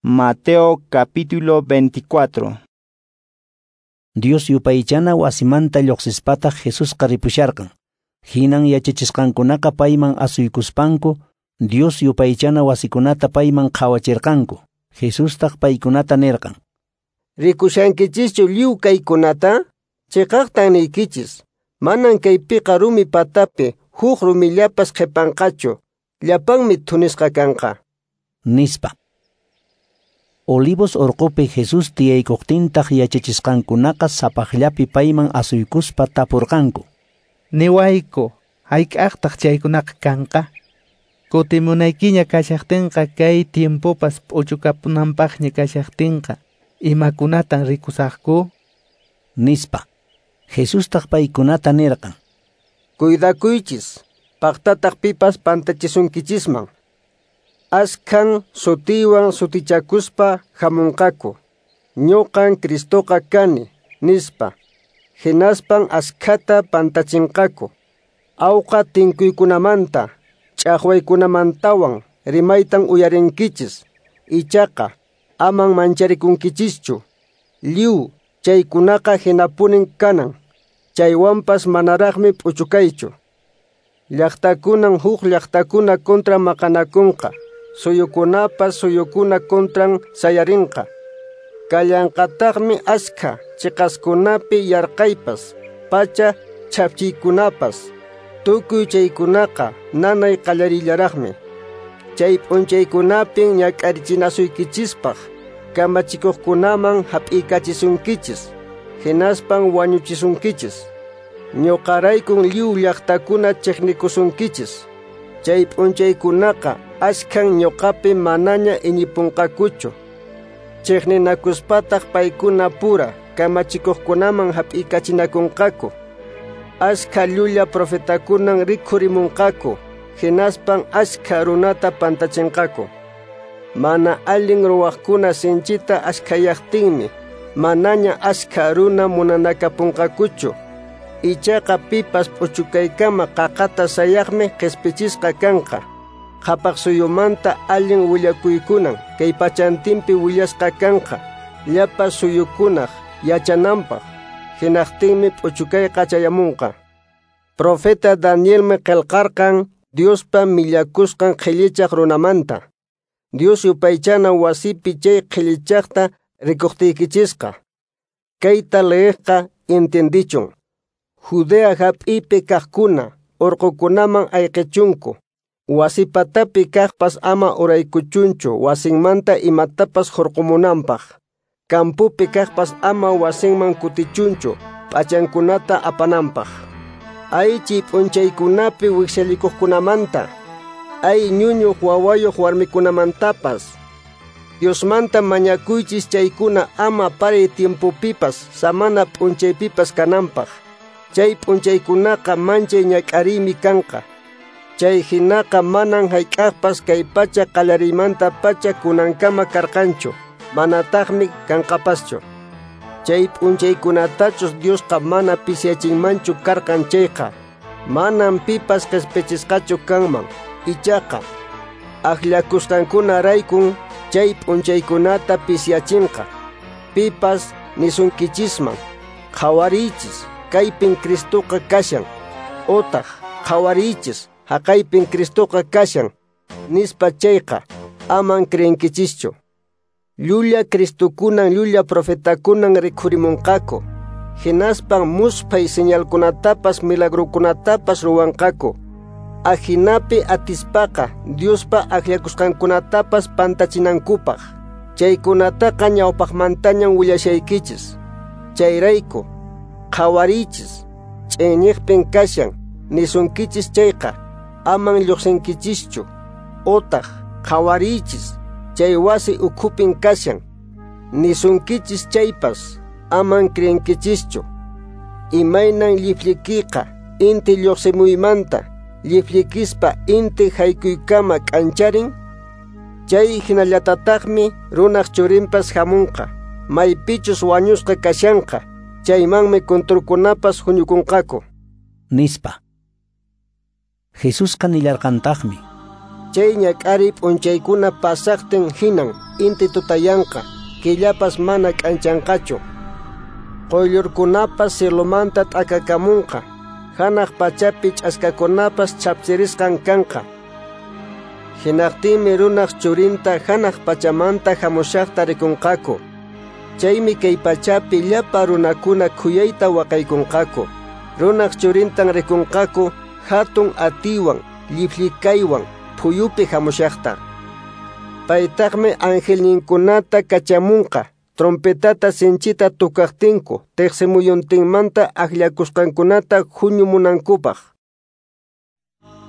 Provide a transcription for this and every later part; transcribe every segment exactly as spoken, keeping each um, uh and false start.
Mateo capítulo veinticuatro. Dios yupaychana wasimanta lluqsispataq Jesusqa ripusharqan. Hinan yachachisqankunaqa payman asuykuspanku Dios yupaychana wasikunata payman qhawachirqanku. Jesustaq paykunata nirqan: Rikushankichischu lliw kaykunata? Chiqaqtan niykichis, manan kaypiqa rumi patapi huk rumillapas qhipanqachu, llapanmi thunisqa kanqa, nispa. Olivos urqupi Jesús tiyaykuqtintaq yachachisqankunaqa sapaqllapi payman asuykuspa tapurqanku: Niwayku, hayk'aqtaq chaykunaqa kanqa? Kutimunaykiña kashaqtinqa kay tiempopas p'uchukapunanpaqña kashaqtinqa, imakunatan rikusaqku? Nispa. Jesustaq paykunata nirqan: Cuidakuychis, paqtataq pipas pantachisunkichisman. Askhan sutiywan sutichakuspa hamunqaku. Ñuqan Cristoqa kani, nispa. Hinaspan askhata pantachinqaku. Awqa tinkuykunamanta, ch'aqwaykunamantawan rimaytan uyarinkichis. Ichaqa aman mancharikunkichishchu. Lliw chaykunaqa hinapunin kanan. Chaywanpas manaraqmi p'uchukaychu. Llaqtakunan huk llaqtakuna kontra maqanakunqa. Suyukunapas suyukuna kontran sayarinqa. Kallanqataqmi askha chiqaskunapi yarqaypas, pacha chhapchiykunapas. Tukuy chaykunaqa nanay qallarillaraqmi. Chay p'unchaykunapin ñak'arichinasuykichispaq kamachikuqkunaman hap'iykachisunkichis, hinaspan wañuchisunkichis. Ñuqaraykun lliw llaqtakuna chiqnikusunkichis. Chay p'unchaykunaqa askhan ñuqapi manaña iñipunqakuchu. Chiqninakuspataq paykuna pura kamachikuqkunaman hap'iykachinakunqaku. Askha llulla profetakunan rikhurimunqaku, hinaspan askha runata pantachinqaku. Mana allin ruwaqkuna sinchita askhayaqtinmi manaña askha runa munanakapunqakuchu. Ichaqa pipas p'uchukaykama qaqata sayaqmi qispichisqa kanqa. Qhapaq suyumanta allin willakuykunan kay pachantinpi willasqa kanqa, llapa suyukunaq yachananpaq. Hinaqtinmi p'uchukayqa chayamunqa. Profeta Danielmi qillqarqan Diospa millakusqan qhillichaq runamanta. Dios yupaychana wasipi chay qhillichaqta rikuqtiykichisqa. Kayta leeqqa entendichun. Judea hap'ipi kaqkuna urqukunaman ayqichunku. Wasipatapi kaqpas ama uraykuchunchu wasinmanta imatapas hurqumunanpaq. Kampupi kaqpas ama wasinman kutichunchu p'achankunata apananpaq. Ay chay p'unchaykunapi wikchallikuqkunamanta, ay ñuñuq wawayuq warmikunamantapas. Diosmanta mañakuychis chaykuna ama paray tiempopipas samana p'unchaypipas kananpaq. Chay p'unchaykunaqa manchay ñak'ariymi kanqa. Chay hinaqa manan hayk'aqpas kay pacha qallariymanta pacha kunankama karqanchu, manataqmi kanqapaschu. Chay p'unchaykunatachus Diosqa mana pisiyachinmanchu karqan chayqa, manan pipas qispichisqachu kanman. Ichaqa akllakusqankunaraykun chay p'unchaykunata pisiyachinqa. Pipas nisunkichisman: qhawariychis, kaypin Cristoqa kashan, otaq qhawariychis, haqaypin Cristoqa kashan, nispa chayqa, aman creenkichischu. Llulla Cristokunan llulla profetakunan rikhurimunqaku. Hinaspan musphay señalkunatapas milagrokunatapas ruwanqaku. Ajinapi atispaqa Diospa akllakusqankunatapas pantachinankupaq. Chaykunataqa ñawpaqmantañan willashaykichis. Chayrayku, qhawariychis, ch'inñiqpin kashan, nisunkichis chayqa, aman lluqsinkichischu. Otaq, qhawariychis, chay wasi ukhupin kashan, nisunkichis chaypas, aman creenkichischu. Imaynan llifllikiqa inti lluqsimuymanta, llifllikispa inti haykuykama k'ancharin, chay hinallatataqmi runaq churinpas hamunqa, maypichus wañusqa kashanqa, chaymanmi kunturkunapas huñukunqaku, nispa. Jesusqa nillarqantaqmi: Chay ñak'ariy p'unchaykuna pasaqtin hinan inti tutayanqa, killapas mana k'anchanqachu. Quyllurkunapas cielomanta t'akakamunqa, hanaq pachapi ch'askakunapas chhapchirisqan kanqa. Hinaqtinmi runaq churinta hanaq pachamanta hamushaqta rikunqaku. Chaymi kay pachapi llapa runakuna khuyayta waqaykunqaku. Runaq churintan rikunqaku hatun atiywan, llipllikaywan, phuyupi hamushaqta. Paytaqmi angelninkunata kachamunqa, trompetata sinchita tukaqtinku, tiqsimuyuntinmanta akllakusqankunata huñumunankupaq.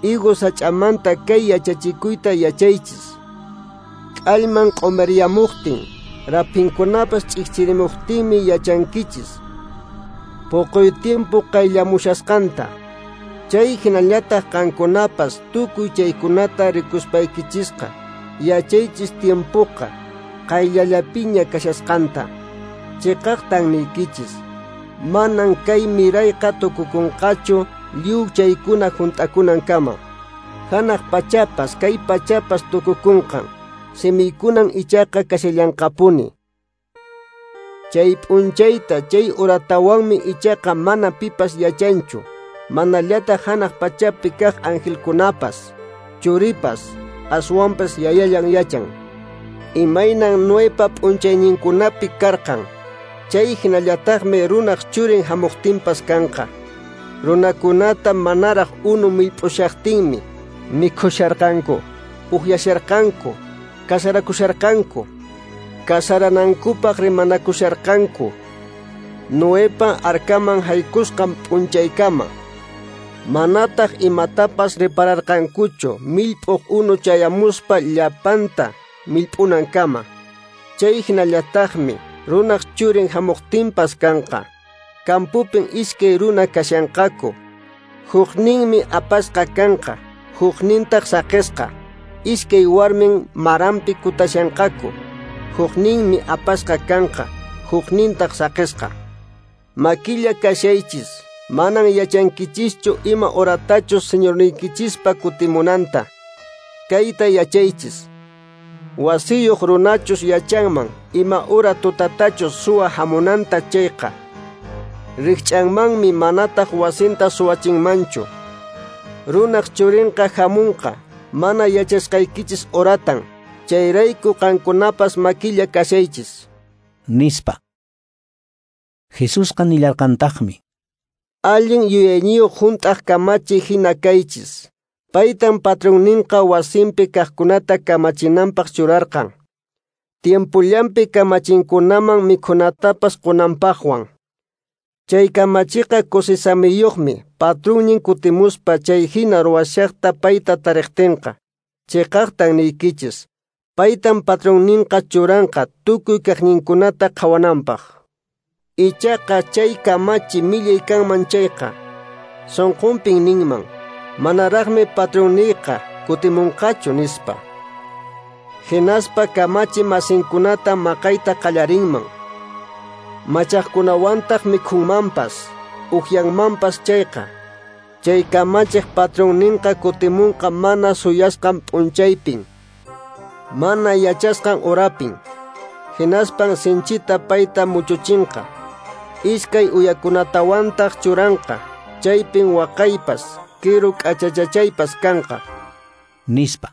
Higo sach'amanta kay yachachikuyta yachaychis. K'allman q'umiriyamuqtin, raphinkunapas ch'ikchirimuqtinmi yachankichis puquy tiempo qayllamushasqanta. Chay hinallataq qankunapas tukuy chaykunata rikuspaykichisqa yachaychis tiempoqa qayllallapiña kashasqanta. Chiqaqtan niykichis, manan kay mirayqa tukukunqachu lliw chaykuna hunt'akunankama. Hanaq pachapas kay pachapas tukukunqan, simiykunan ichaqa kashallanqapuni. Chay p'unchayta chay uratawanmi ichaqa mana pipas yachanchu, manallataq hanaq pachapi kaq angelkunapas, churipas, aswanpas yayallan yachan. Imaynan Noepa p'unchayninkunapi karqan, chay hinallataqmi runaq churin hamuqtinpas kanqa. Runakunata manaraq unu millp'ushaqtinmi mikhusharqanku, uhyasharqanku, kasarakusharqanku, kasaranankupaq rimanakusharqanku. Noepa arkaman haykusqan p'unchaykama. Manataq imatapas repararqankuchu millp'uq unu chayamuspa llapanta millp'unankama. Chay hinallataqmi runaq churin hamuqtinpas kanqa. Kampupin iskay runa kashanqaku. Hukninmi apasqa kanqa, huknintaq saqisqa. Iskay warmin maranpi kutashanqaku. Hukninmi apasqa kanqa, huknintaq saqisqa. Makilla kashaychis, manan yachankichischu ima horatachus señorniykichispa kutimunanta. Kayta yachaychis. Wasiyuq runachus yachanman ima hora tutatachus suwa hamunanta chayqa, rikch'anmanmi manataq wasinta suwachinmanchu. Runaq churinqa hamunqa mana yachasqaykichis horatan. Chayrayku qankunapas makilla kashaychis, nispa. Jesusqa nillarqantaqmi: Allin yuyayniyuq hunt'aq kamachi hina kaychis. Paytan patronninqa wasinpi kaqkunata kamachinanpaq churarqan, tiempullanpi kamachinkunaman mikhunatapas qunanpaqwan. Chay kamachiqa kusisamiyuqmi patronnin kutimuspa chay hina ruwashaqta payta tariqtinqa. Chiqaqtan niykichis, paytan patronninqa churanqa tukuy kaqninkunata qhawananpaq. Ichaqa chay kamachi millay kanman chayqa, sunqunpin ninman, manaraqmi patronniyqa kutimunqachu nispa. Hinaspa kamachi masinkunata maqayta qallarinman, machaqkunawantaq mikhunmanpas, uhyanmanpas chayqa, chay kamachiq patronninqa kutimunqa mana suyasqan p'unchaypin, mana yachasqan horapin. Hinaspan sinchita payta muchuchinqa, iskay uyakunatawantaq churanqa, chaypin waqaypas, kiru k'achachachaypas kanqa, nispa.